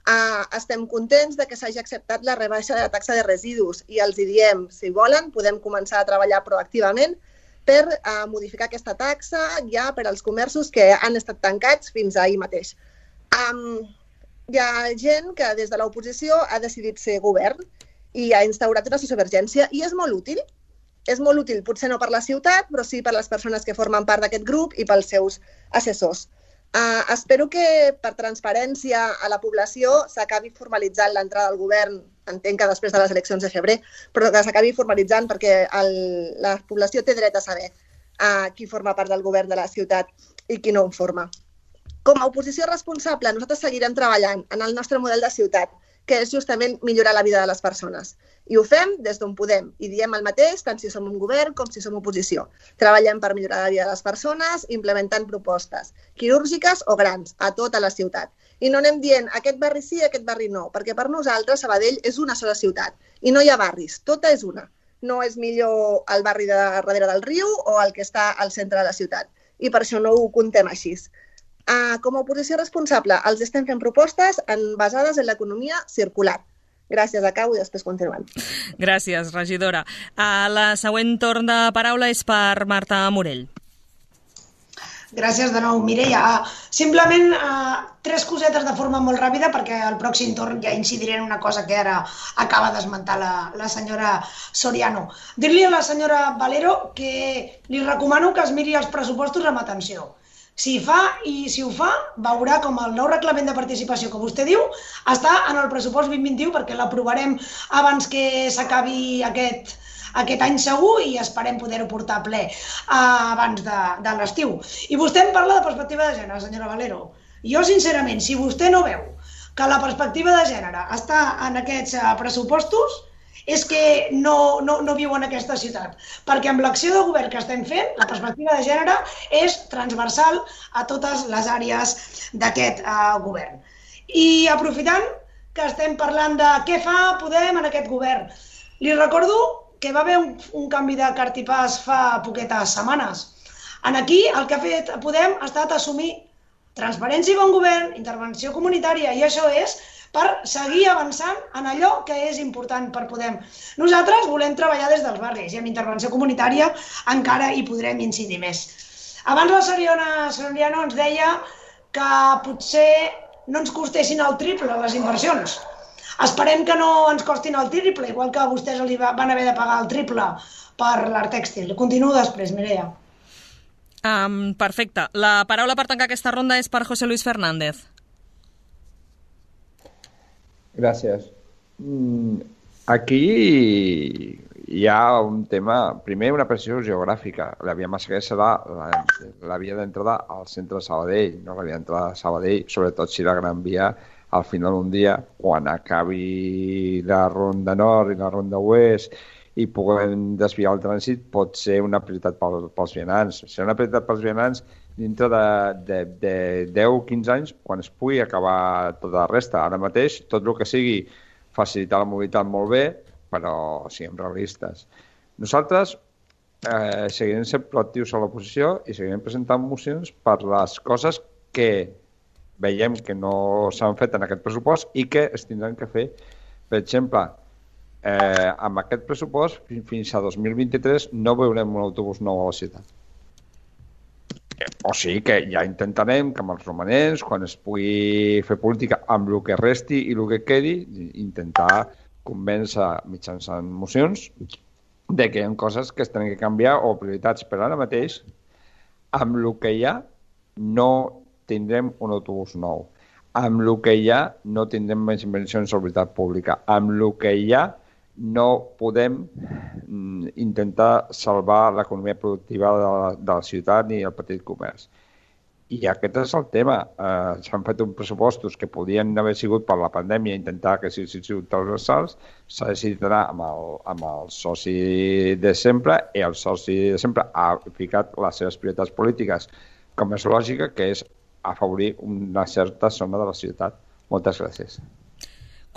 Uh, estem contents de que s'hagi acceptat la rebaixa de la taxa de residus i els hi diem, si volen, podem començar a treballar proactivament per uh, modificar aquesta taxa ja per als comerços que han estat tancats fins ahir mateix. Um, hi ha gent que des de l'oposició ha decidit ser govern i ha instaurat una sociovergència i és molt útil. És molt útil, potser no per la ciutat, però sí per les persones que formen part d'aquest grup i pels seus assessors. Uh, espero que per transparència a la població s'acabi formalitzant l'entrada al govern, entenc que després de les eleccions de febrer, però que s'acabi formalitzant perquè el, la població té dret a saber uh, qui forma part del govern de la ciutat i qui no en forma. Com a oposició responsable, nosaltres seguirem treballant en el nostre model de ciutat, que és justament millorar la vida de les persones. I ho fem des d'on podem i diem el mateix tant si som un govern com si som oposició. Treballem per millorar la vida de les persones, implementant propostes quirúrgiques o grans a tota la ciutat. I no anem dient aquest barri sí, aquest barri no, perquè per nosaltres Sabadell és una sola ciutat i no hi ha barris, tota és una. No és millor el barri de darrere del riu o el que està al centre de la ciutat. I per això no ho contem així. Uh, com a oposició responsable, els estem fent propostes en, basades en l'economia circular. Gràcies, acabo i després continuem. Gràcies, regidora. Uh, la següent torn de paraula és per Marta Morell. Gràcies de nou, Mireia. Uh, simplement uh, tres cosetes de forma molt ràpida perquè al pròxim torn ja incidiré en una cosa que ara acaba d'esmentar la, la senyora Soriano. Dir-li a la senyora Valero que li recomano que es miri els pressupostos amb atenció. Si fa i si ho fa, veurà com el nou reglament de participació que vostè diu està en el pressupost vint vint-i-u perquè l'aprovarem abans que s'acabi aquest, aquest any segur i esperem poder-ho portar a ple abans de, de l'estiu. I vostè em parla de perspectiva de gènere, senyora Valero. Jo, sincerament, si vostè no veu que la perspectiva de gènere està en aquests pressupostos, és que no, no, no viu en aquesta ciutat. Perquè amb l'acció de govern que estem fent, la perspectiva de gènere és transversal a totes les àrees d'aquest uh, govern. I aprofitant que estem parlant de què fa Podem en aquest govern, li recordo que va haver un, un canvi de cartipàs fa poquetes setmanes. En aquí el que ha fet Podem ha estat assumir transparència i bon govern, intervenció comunitària, i això és per seguir avançant en allò que és important per Podem. Nosaltres volem treballar des dels barris i amb intervenció comunitària encara hi podrem incidir més. Abans la Soriana Soriano ens deia que potser no ens costessin el triple les inversions. Esperem que no ens costin el triple, igual que vostès van haver de pagar el triple per l'art tèxtil. Continuo després, Mireia. Um, perfecte. La paraula per tancar aquesta ronda és per José Luis Fernández. Gràcies. Aquí hi ha un tema, primer una precisió geogràfica. La via Massaguer serà la, la via d'entrada al centre de Sabadell, no la via d'entrada a Sabadell, sobretot si la Gran Via al final d'un dia, quan acabi la ronda nord i la ronda oest i puguem desviar el trànsit, pot ser una prioritat pel, pels vianants. Serà una prioritat pels vianants dintre de, de, de deu a quinze anys, quan es pugui acabar tota la resta. Ara mateix, tot el que sigui facilitar la mobilitat molt bé, però siguem realistes. Nosaltres eh, seguirem sent proactius a l'oposició i seguirem presentant mocions per les coses que veiem que no s'han fet en aquest pressupost i que es tindran que fer. Per exemple, eh, amb aquest pressupost, fins a dos mil vint-i-tres no veurem un autobús nou a la ciutat. O sigui que ja intentarem que amb els romanents, quan es pugui fer política amb el que resti i el que quedi, intentar convèncer mitjançant mocions de que hi ha coses que es tenen que canviar o prioritats. Però ara mateix, amb el que hi ha, no tindrem un autobús nou. Amb el que hi ha, no tindrem més inversions en veritat pública. Amb el que hi ha, no podem intentar salvar l'economia productiva de la, de la ciutat ni el petit comerç. I aquest és el tema. Eh, S'han fet uns pressupostos que podien haver sigut per la pandèmia intentar que siguin sigut transversals, s'ha decidit anar amb el, amb el soci de sempre i el soci de sempre ha ficat les seves prioritats polítiques, com és lògica, que és afavorir una certa zona de la ciutat. Moltes gràcies.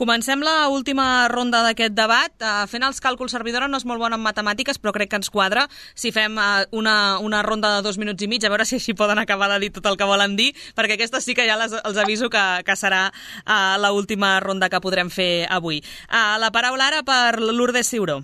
Comencem la última ronda d'aquest debat. Uh, fent els càlculs, servidora no és molt bona en matemàtiques, però crec que ens quadra si fem uh, una, una ronda de dos minuts i mig, a veure si així poden acabar de dir tot el que volen dir, perquè aquesta sí que ja les, els aviso que, que serà uh, l'última ronda que podrem fer avui. Uh, la paraula ara per Lourdes Ciuró.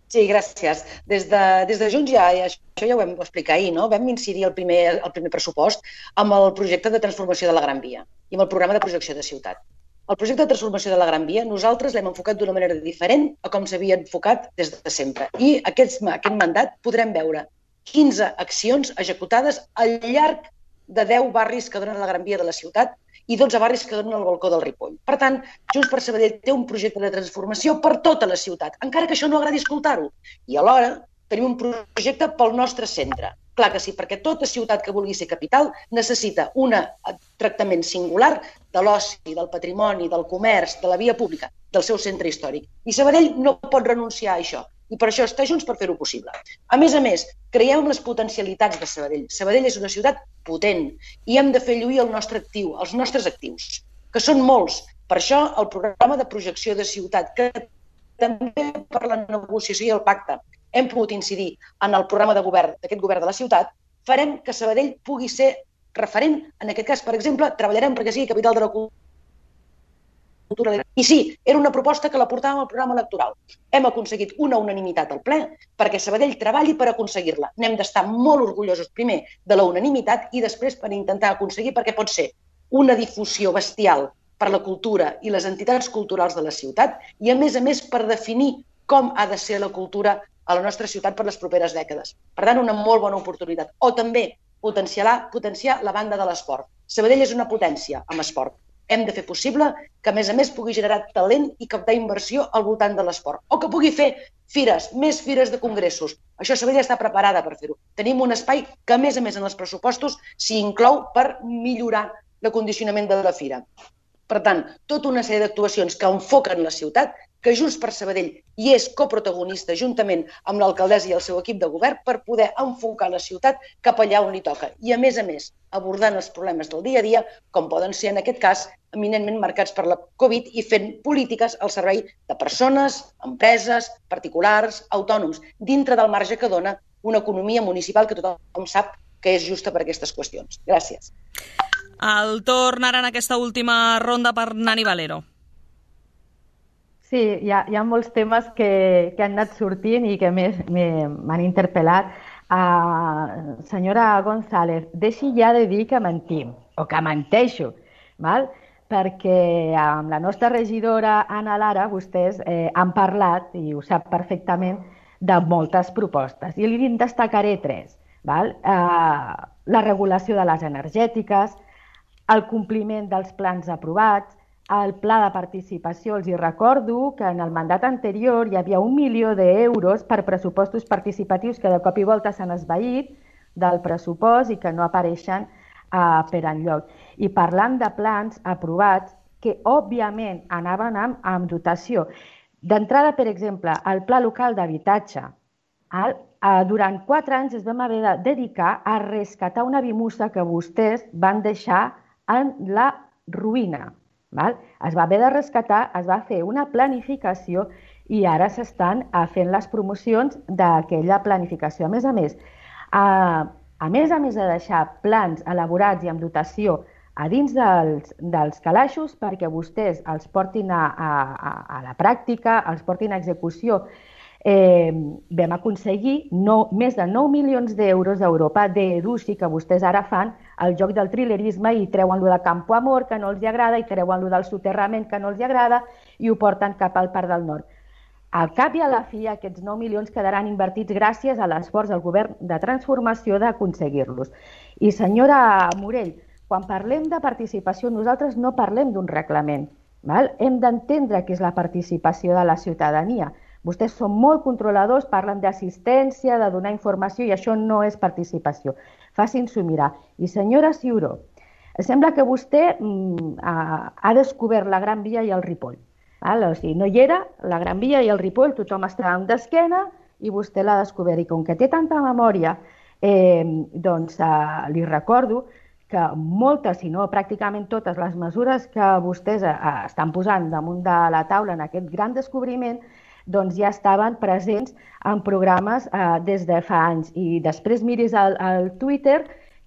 Sí, gràcies. Des de, des de Junts ja, això ja ho vam explicar ahir, no? Vam incidir el primer, el primer pressupost amb el projecte de transformació de la Gran Via i amb el programa de projecció de ciutat. El projecte de transformació de la Gran Via nosaltres l'hem enfocat d'una manera diferent a com s'havia enfocat des de sempre. I aquest, aquest mandat podrem veure quinze accions executades al llarg de deu barris que donen la Gran Via de la ciutat i dotze barris que donen el balcó del Ripoll. Per tant, Junts per Sabadell té un projecte de transformació per tota la ciutat, encara que això no agradi escoltar-ho. I alhora tenim un projecte pel nostre centre. Clar que sí, perquè tota ciutat que vulgui ser capital necessita un tractament singular de l'oci, del patrimoni, del comerç, de la via pública, del seu centre històric. I Sabadell no pot renunciar a això. I per això està Junts per fer-ho possible. A més a més, creiem en les potencialitats de Sabadell. Sabadell és una ciutat potent i hem de fer lluir el nostre actiu, els nostres actius, que són molts. Per això el programa de projecció de ciutat, que també per la negociació i el pacte hem pogut incidir en el programa de govern d'aquest govern de la ciutat, farem que Sabadell pugui ser referent. En aquest cas, per exemple, treballarem perquè sigui capital de la cultura. I sí, era una proposta que la portàvem al programa electoral. Hem aconseguit una unanimitat al ple perquè Sabadell treballi per aconseguir-la. N'hem d'estar molt orgullosos, primer, de la unanimitat i després per intentar aconseguir, perquè pot ser una difusió bestial per la cultura i les entitats culturals de la ciutat i, a més a més, per definir com ha de ser la cultura a la nostra ciutat per les properes dècades. Per tant, una molt bona oportunitat. O també potenciar, potenciar la banda de l'esport. Sabadell és una potència amb esport. Hem de fer possible que, a més a més, pugui generar talent i captar inversió al voltant de l'esport. O que pugui fer fires, més fires de congressos. Això Sabadell està preparada per fer-ho. Tenim un espai que, a més a més, en els pressupostos s'hi inclou per millorar l'acondicionament de la fira. Per tant, tota una sèrie d'actuacions que enfoquen la ciutat, que Junts per Sabadell hi és coprotagonista juntament amb l'alcaldessa i el seu equip de govern per poder enfocar la ciutat cap allà on li toca. I, a més a més, abordant els problemes del dia a dia, com poden ser, en aquest cas, eminentment marcats per la Covid i fent polítiques al servei de persones, empreses, particulars, autònoms, dintre del marge que dona una economia municipal que tothom sap que és justa per aquestes qüestions. Gràcies. El torn ara en aquesta última ronda per Nani Valero. Sí, hi ha, hi ha molts temes que, que han anat sortint i que m'han interpel·lat. Uh, senyora González, deixi ja de dir que mentim, o que menteixo, val? Perquè amb la nostra regidora Ana Lara vostès eh, han parlat, i ho sap perfectament, de moltes propostes. I li destacaré tres. Val? Uh, la regulació de les energètiques, el compliment dels plans aprovats, el pla de participació. Els hi recordo que en el mandat anterior hi havia un milió d'euros per pressupostos participatius que de cop i volta s'han esvaït del pressupost i que no apareixen uh, per enlloc. I parlant de plans aprovats que, òbviament, anaven amb, amb dotació. D'entrada, per exemple, el Pla Local d'Habitatge. El, uh, durant quatre anys es vam haver de dedicar a rescatar una vimussa que vostès van deixar en la ruïna. Val? Es va haver de rescatar, es va fer una planificació i ara s'estan fent les promocions d'aquella planificació. A més a més, a, a més a més de deixar plans elaborats i amb dotació a dins dels, dels calaixos perquè vostès els portin a, a, a la pràctica, els portin a execució, eh, vam aconseguir no, més de nou milions d'euros d'Europa d'Educi que vostès ara fan el joc del trilerisme i treuen lo de Campo Amor, que no els agrada, i treuen lo del soterrament, que no els agrada, i ho porten cap al Parc del Nord. Al cap i a la fi, aquests nou milions quedaran invertits gràcies a l'esforç del govern de transformació d'aconseguir-los. I senyora Morell, quan parlem de participació, nosaltres no parlem d'un reglament. Val? Hem d'entendre què és la participació de la ciutadania. Vostès són molt controladors, parlen d'assistència, de donar informació, i això no és participació. Facin-s'ho mirar. I senyora Ciuró, sembla que vostè mm, ha, ha descobert la Gran Via i el Ripoll. Val? O sigui, no hi era, la Gran Via i el Ripoll, tothom estava d'esquena i vostè l'ha descobert. I com que té tanta memòria, eh, doncs eh, li recordo que moltes, si no pràcticament totes les mesures que vostès eh, estan posant damunt de la taula en aquest gran descobriment, doncs ja estaven presents en programes eh, des de fa anys. I després miris al, al Twitter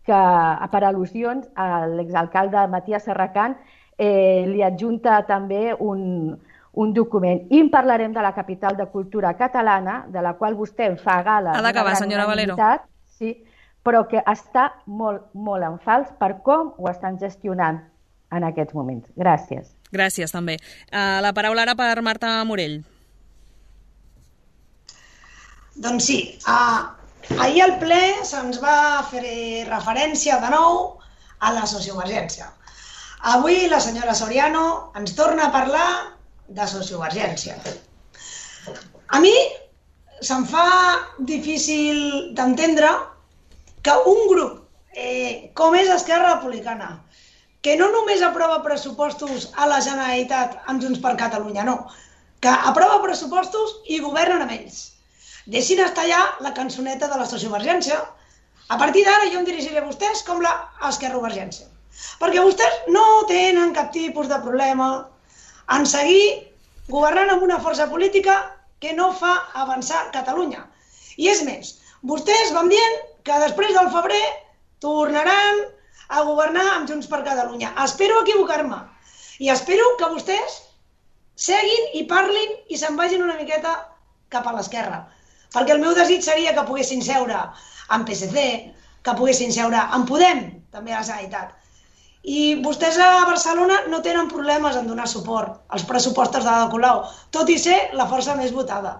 que per al·lusions l'exalcalde Matías Serracant eh, li adjunta també un, un document. I en parlarem de la capital de cultura catalana, de la qual vostè en fa gala. Ha d'acabar, senyora Valero. Sí, però que està molt, molt en fals per com ho estan gestionant en aquests moments. Gràcies. Gràcies, també. Uh, la paraula ara per Marta Morell. Doncs sí, uh, ahir al ple se'ns va fer referència de nou a la sociovergència. Avui la senyora Soriano ens torna a parlar de sociovergència. A mi se'm fa difícil d'entendre que un grup eh, com és Esquerra Republicana, que no només aprova pressupostos a la Generalitat amb Junts per Catalunya, no, que aprova pressupostos i governen amb ells. Deixin estar ja la cançoneta de la sociovergència. A partir d'ara jo em dirigiré a vostès com la esquerrovergència. Perquè vostès no tenen cap tipus de problema en seguir governant amb una força política que no fa avançar Catalunya. I és més, vostès van dient que després del febrer tornaran a governar amb Junts per Catalunya. Espero equivocar-me i espero que vostès seguin i parlin i se'n vagin una miqueta cap a l'esquerra. Perquè el meu desig seria que poguessin seure amb P S C, que poguessin seure amb Podem, també a la Generalitat. I vostès a Barcelona no tenen problemes en donar suport als pressupostos de Ada Colau, tot i ser la força més votada.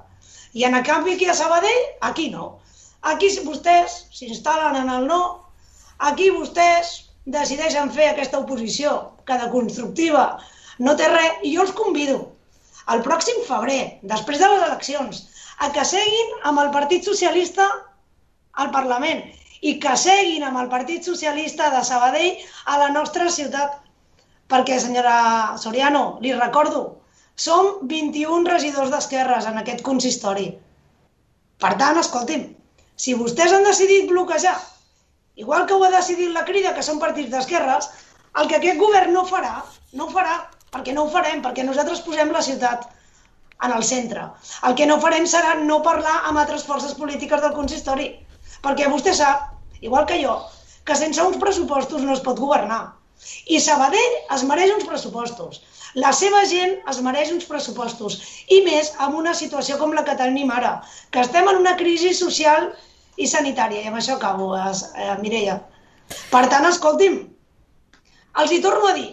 I en canvi aquí a Sabadell, aquí no. Aquí vostès s'instal·len en el no, aquí vostès decideixen fer aquesta oposició, que de constructiva no té res, i jo els convido al pròxim febrer, després de les eleccions, a que seguin amb el Partit Socialista al Parlament i que seguin amb el Partit Socialista de Sabadell a la nostra ciutat. Perquè, senyora Soriano, li recordo, som vint-i-un regidors d'esquerres en aquest consistori. Per tant, escolti'm, si vostès han decidit bloquejar, igual que ho ha decidit la Crida, que són partits d'esquerres, el que aquest govern no farà, no ho farà, perquè no ho farem, perquè nosaltres posem la ciutat en el centre. El que no farem serà no parlar amb altres forces polítiques del consistori, perquè vostè sap, igual que jo, que sense uns pressupostos no es pot governar. I Sabadell es mereix uns pressupostos. La seva gent es mereix uns pressupostos. I més amb una situació com la que tenim ara, que estem en una crisi social i sanitària. I amb això acabo, eh, Mireia. Per tant, escolti'm, els hi torno a dir,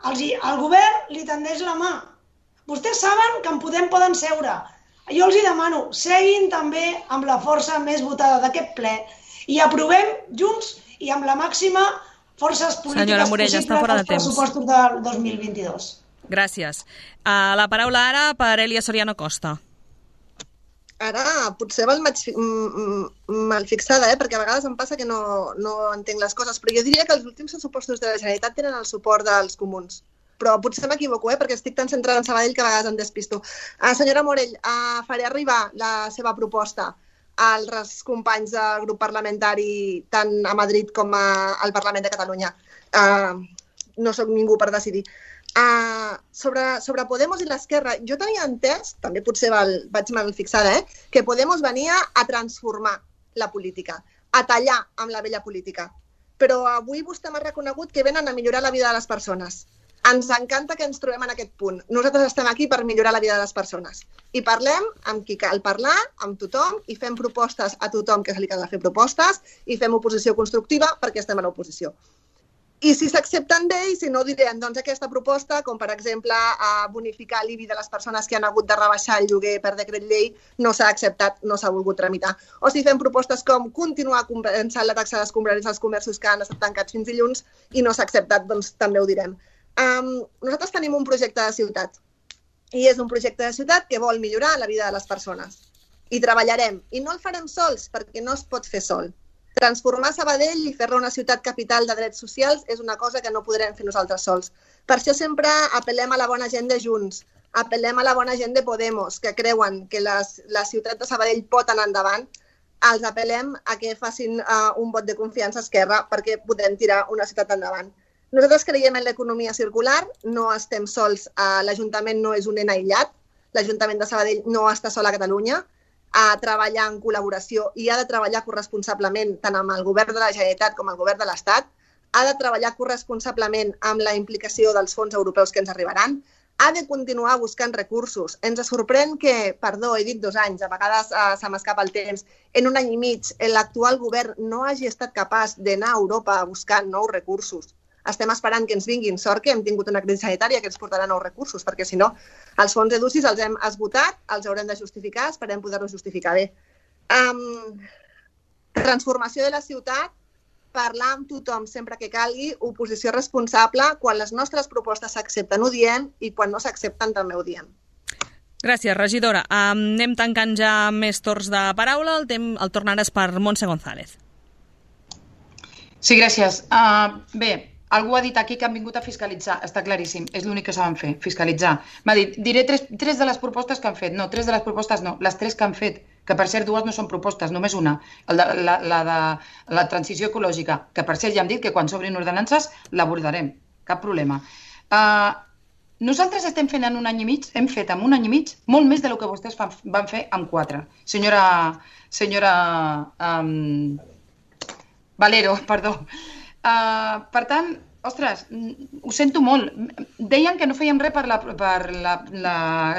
els hi, el govern li tendeix la mà. Vostès saben que en Podem poden seure. Jo els hi demano, seguin també amb la força més votada d'aquest ple i aprovem junts i amb la màxima forces polítiques Senyora Morell, està fora de possibles als pressupostos del dos mil vint-i-dos. Gràcies. Uh, la paraula ara per Elia Soriano Costa. Ara, potser val mal fixada, eh? Perquè a vegades em passa que no, no entenc les coses, però jo diria que els últims pressupostos de la Generalitat tenen el suport dels comuns. Però potser m'equivoco, eh? Perquè estic tan centrada en Sabadell que a vegades em despisto. Uh, senyora Morell, uh, faré arribar la seva proposta als companys del grup parlamentari tant a Madrid com a, al Parlament de Catalunya. Uh, no sóc ningú per decidir. Uh, sobre, sobre Podemos i l'esquerra, jo tenia entès, també potser val, vaig mal fixada, eh, que Podemos venia a transformar la política, a tallar amb la vella política. Però avui vostè m'ha reconegut que venen a millorar la vida de les persones. Ens encanta que ens trobem en aquest punt. Nosaltres estem aquí per millorar la vida de les persones. I parlem amb qui cal parlar, amb tothom, i fem propostes a tothom que se li cal fer propostes, i fem oposició constructiva perquè estem a l'oposició. I si s'accepten bé, i si no, direm, doncs aquesta proposta, com per exemple a bonificar l'I B I de les persones que han hagut de rebaixar el lloguer per decret llei, no s'ha acceptat, no s'ha volgut tramitar. O si fem propostes com continuar compensant la taxa d'escombraris als comerços que han estat tancats fins dilluns i no s'ha acceptat, doncs també ho direm. Um, nosaltres tenim un projecte de ciutat, i és un projecte de ciutat que vol millorar la vida de les persones. I treballarem, i no el farem sols, perquè no es pot fer sol. Transformar Sabadell i fer-la una ciutat capital de drets socials és una cosa que no podrem fer nosaltres sols. Per això sempre apel·lem a la bona gent de Junts, apel·lem a la bona gent de Podemos, que creuen que les, la ciutat de Sabadell pot anar endavant. Els apel·lem a que facin uh, un vot de confiança a Esquerra perquè podem tirar una ciutat endavant. Nosaltres creiem en l'economia circular, no estem sols, uh, l'Ajuntament no és un nen aïllat, l'Ajuntament de Sabadell no està sol a Catalunya, a treballar en col·laboració i ha de treballar corresponsablement tant amb el govern de la Generalitat com el govern de l'Estat, ha de treballar corresponsablement amb la implicació dels fons europeus que ens arribaran, ha de continuar buscant recursos. Ens sorprèn que, perdó, he dit dos anys, a vegades uh, se m'escapa el temps, en un any i mig l'actual govern no hagi estat capaç d'anar a Europa a buscar nous recursos. Estem esperant que ens vinguin. Sort que hem tingut una crisi sanitària que ens portarà nous recursos, perquè si no, els fons EDUSI els hem esgotat, els haurem de justificar, esperem poder-los justificar bé. Um, transformació de la ciutat, parlar amb tothom sempre que calgui, oposició responsable, quan les nostres propostes s'accepten ho diem i quan no s'accepten també ho diem. Gràcies, regidora. Um, anem tancant ja més torns de paraula. El, tem, el torn ara és per Montse González. Sí, gràcies. Uh, bé, algú ha dit aquí que han vingut a fiscalitzar. Està claríssim, és l'únic que saben fer, fiscalitzar. M'ha dit, diré tres, tres de les propostes que han fet. No, tres de les propostes no, les tres que han fet, que per cert dues no són propostes, només una, la, la, la de la transició ecològica, que per cert ja hem dit que quan s'obrin ordenances l'abordarem, cap problema. Uh, nosaltres estem fent en un any i mig, hem fet en un any i mig molt més del que vostès fan, van fer en quatre. Senyora, senyora um, Valero, perdó. Uh, per tant, ostres, ho sento molt. Deien que no fèiem res per, la, per la, la,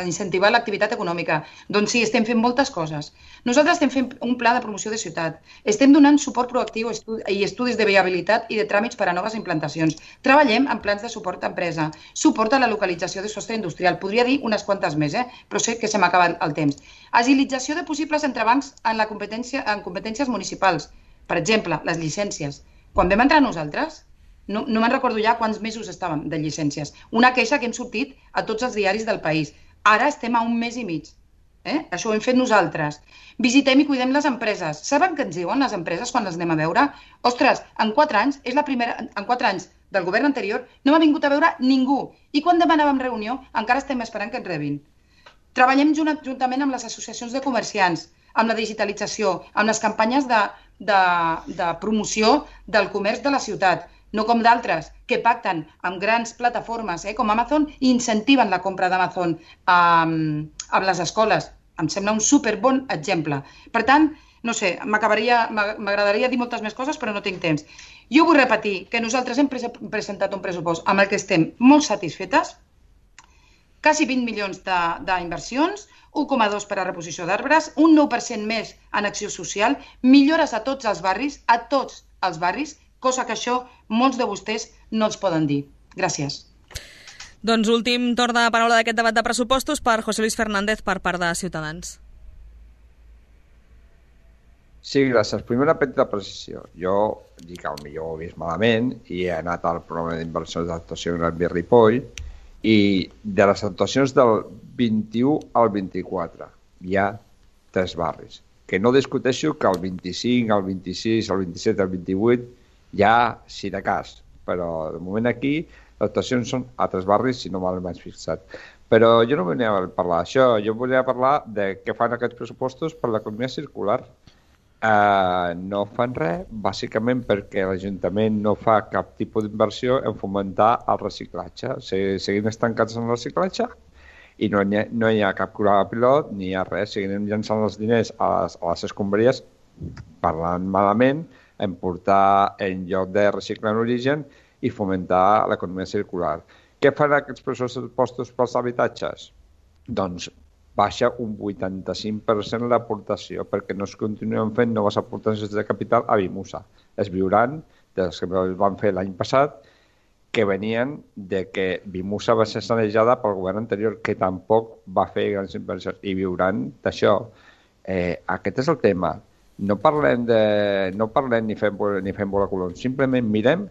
incentivar l'activitat econòmica. Doncs sí, estem fent moltes coses. Nosaltres estem fent un pla de promoció de ciutat. Estem donant suport proactiu i estudis de viabilitat i de tràmits per a noves implantacions. Treballem en plans de suport a empresa, suport a la localització de sostre industrial. Podria dir unes quantes més, eh? Però sé que se m'acaba el temps. Agilització de possibles entrebancs en, la competència, en competències municipals. Per exemple, les llicències. Quan vam entrar nosaltres, no, no me'n recordo ja quants mesos estàvem de llicències. Una queixa que hem sortit a tots els diaris del país. Ara estem a un mes i mig. Eh? Això ho hem fet nosaltres. Visitem i cuidem les empreses. Saben què ens diuen les empreses quan les anem a veure? Ostres, en quatre anys, és la primera, en quatre anys del govern anterior, no m'ha vingut a veure ningú. I quan demanàvem reunió, encara estem esperant que ens rebin. Treballem junt, juntament amb les associacions de comerciants, amb la digitalització, amb les campanyes de, de, de promoció del comerç de la ciutat, no com d'altres, que pacten amb grans plataformes eh, com Amazon i incentiven la compra d'Amazon um, a les escoles. Em sembla un superbon exemple. Per tant, no sé, m'agradaria dir moltes més coses, però no tinc temps. Jo vull repetir que nosaltres hem presentat un pressupost amb el que estem molt satisfetes, quasi vint milions d'inversions, un coma dos per a reposició d'arbres, un nou per cent més en acció social, millores a tots els barris, a tots els barris, cosa que això molts de vostès no els poden dir. Gràcies. Doncs últim torn de paraula d'aquest debat de pressupostos per José Luis Fernández per part de Ciutadans. Sí, gràcies. Primera petita precisió. Jo dic que potser ho he vist malament i he anat al programa d'inversions d'actuació en el Ripoll i de les actuacions del vint-i-u al vint-i-quatre hi ha tres barris. Que no discuteixo que el vint-i-cinc, el vint-i-sis, el vint-i-set, el vint-i-vuit hi ha, si de cas, però de moment aquí les actuacions són a tres barris, si no mal m'has fixat. Però jo no volia parlar d'això, jo volia parlar de què fan aquests pressupostos per l'economia circular. Uh, no fan res, bàsicament perquè l'Ajuntament no fa cap tipus d'inversió en fomentar el reciclatge. Seguim estancats en el reciclatge i no hi ha, no hi ha cap programa pilot ni hi ha res. Seguim llançant els diners a les, a les escombraries, parlant malament, en portar en lloc de reciclar en origen i fomentar l'economia circular. Què fan aquests pressupostos pels habitatges? Doncs baixa un vuitanta-cinc per cent l'aportació perquè no es continuen fent noves aportacions de capital a Bimusa. Es viuran dels que van fer l'any passat que venien de que Bimusa va ser sanejada pel govern anterior que tampoc va fer grans inversions i viuran d'això. Eh, aquest és el tema. No parlem, de, no parlem ni fem, ni fem bola colons, simplement mirem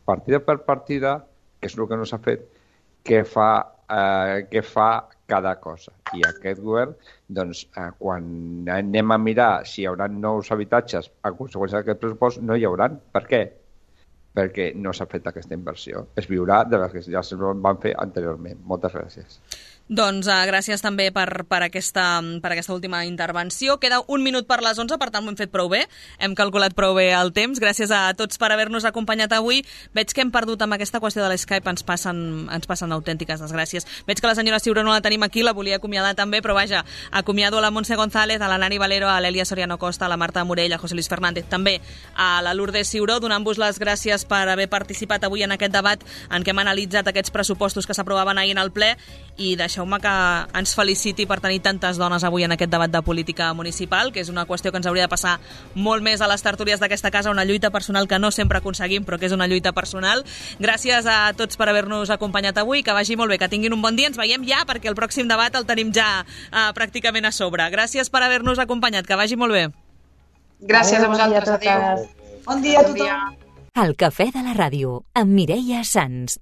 partida per partida, que és el que no s'ha fet, què fa, eh, què fa cada cosa. I aquest govern, doncs, eh, quan anem a mirar si hi haurà nous habitatges a conseqüència d'aquest pressupost, no hi haurà. Per què? Perquè no s'ha fet aquesta inversió. Es viurà de les que ja es van fer anteriorment. Moltes gràcies. Doncs uh, gràcies també per, per, aquesta, per aquesta última intervenció. Queda un minut per les onze, per tant ho hem fet prou bé. Hem calculat prou bé el temps. Gràcies a tots per haver-nos acompanyat avui. Veig que hem perdut amb aquesta qüestió de l'Skype, ens passen, ens passen autèntiques desgràcies. Veig que la senyora Ciuró no la tenim aquí, la volia acomiadar també, però vaja, acomiado a la Montse González, a la Nani Valero, a l'Elia Soriano Costa, a la Marta Morell, a José Luis Fernández, també a la Lourdes Ciuró, donant-vos les gràcies per haver participat avui en aquest debat en què hem analitzat aquests pressupostos que s'aprovaven ahir en el ple, i deixeu-me que ens feliciti per tenir tantes dones avui en aquest debat de política municipal, que és una qüestió que ens hauria de passar molt més a les tertúlies d'aquesta casa, una lluita personal que no sempre aconseguim, però que és una lluita personal. Gràcies a tots per haver-nos acompanyat avui, que vagi molt bé, que tinguin un bon dia, ens veiem ja, perquè el pròxim debat el tenim ja uh, pràcticament a sobre. Gràcies per haver-nos acompanyat, que vagi molt bé. Gràcies a vosaltres, adéu. Bon dia a tothom. El Cafè de la Ràdio, amb Mireia Sans.